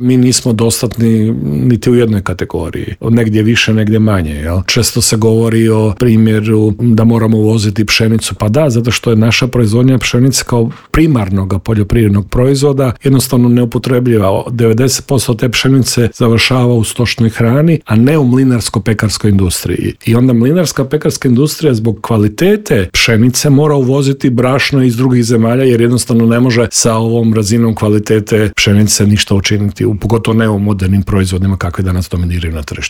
mi nismo dostatni niti u jednoj kategoriji. Negdje više, negdje manje. Jel? Često se govori o primjeru da moramo uvoziti pšenicu. Pa da, zato što je naša proizvodnja pšenice kao primarnog poljoprivrednog proizvoda jednostavno neupotrebljiva. 90% te pšenice završava u stočnoj hrani, a ne u mlinarsko-pekarskoj industriji. I onda mlinarska-pekarska industrija zbog kvalitete pšenice mora uvoziti brašno iz drugih zemalja jer jednostavno ne može sa ovom razinom kvalitete pšenice ništa učiniti, pogotovo ne u modernim proizvodima kakve danas dominiraju na tržištu.